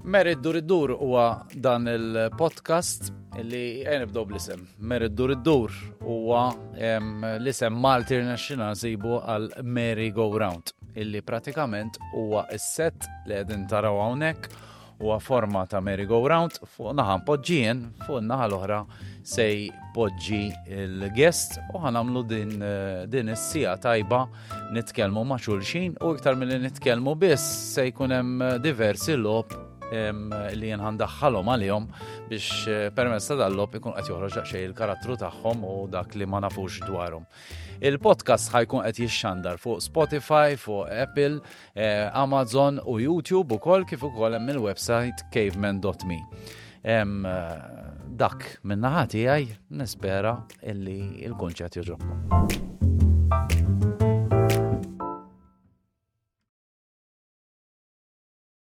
Mary Dur Id-Dur huwa dan il-podcast li ejja nibdew bl-isem. Mary Dur Id-Dur huwa l-isem Malti rnexxina nsibu għal Merry Go Round illi pratikament huwa s-set li qegħdin taraw hawnhekk huwa forma ta' merry go round fuq naħa npoġġi jien, fuq naħa l-oħra se jpoġġi l-guest u ħanamlu din, eh, din is-sija tajba nitkellmu ma' xulxin u iktar milli nitkellmu biss se jkun hemm eh, diversi logħob li jien ħandaħħalhom għalihom biex eh, permezz ta' dal-logħob ikun qed joħroġ daqsxejn il-karattru tagħhom u dak li ma nafux dwarhom. Il-podcast ħajkun qed jixxandar fuq Spotify, fuq Apple, eh, Amazon u YouTube ukoll kif ukoll hemm il-website caveman.me. Eh, dak minn naħa tiegħi nispera illi il-kunċett jogħġobkom.